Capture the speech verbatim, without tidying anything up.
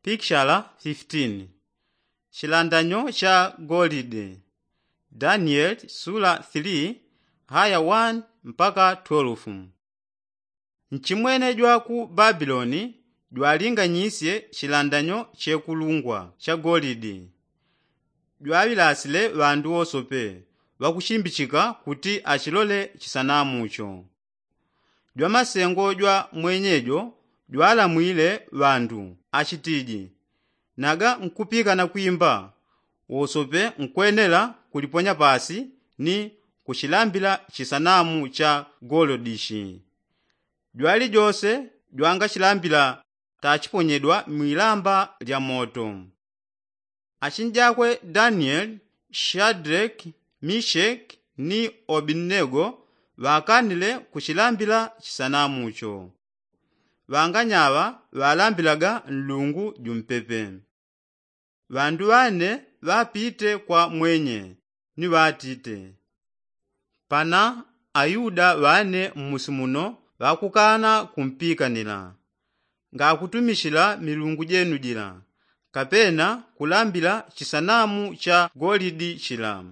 Pikshala fifitini. Chilandanyo cha golide. Danieli sula tili haya wani mpaka twelfu. Nchimwene jwa ku babiloni jwalinganyisye chilandanyo chekulungwa cha golide. Jwaŵilasile ŵandu wosope ŵakuchimbichika kuti achilole chisanamucho. Jwamasengo jwa mwenyejo jwalamwile ŵandu achitiji, naga nkupikana kwimba wosope nkwenela kuliponya pasi ni kuchilambila chisanamu cha golodishi. Jwalijose jwangachilambila tachiponyedwa mwilamba lya moto. Achinjakwe danieli, shadreki, misheki ni obidinego ŵakanile kuchilambila chisanamucho. Ŵanganyaŵa ŵalambilaga nlungu jumpepe. Ŵandu ŵane ŵapite kwa mwenye ni ŵatite, pana ayuda ŵane mmusi muno ŵakukana kumpikanila ngakutumishila milungu jenu jila, kapena kulambila chisanamu cha golidi chila.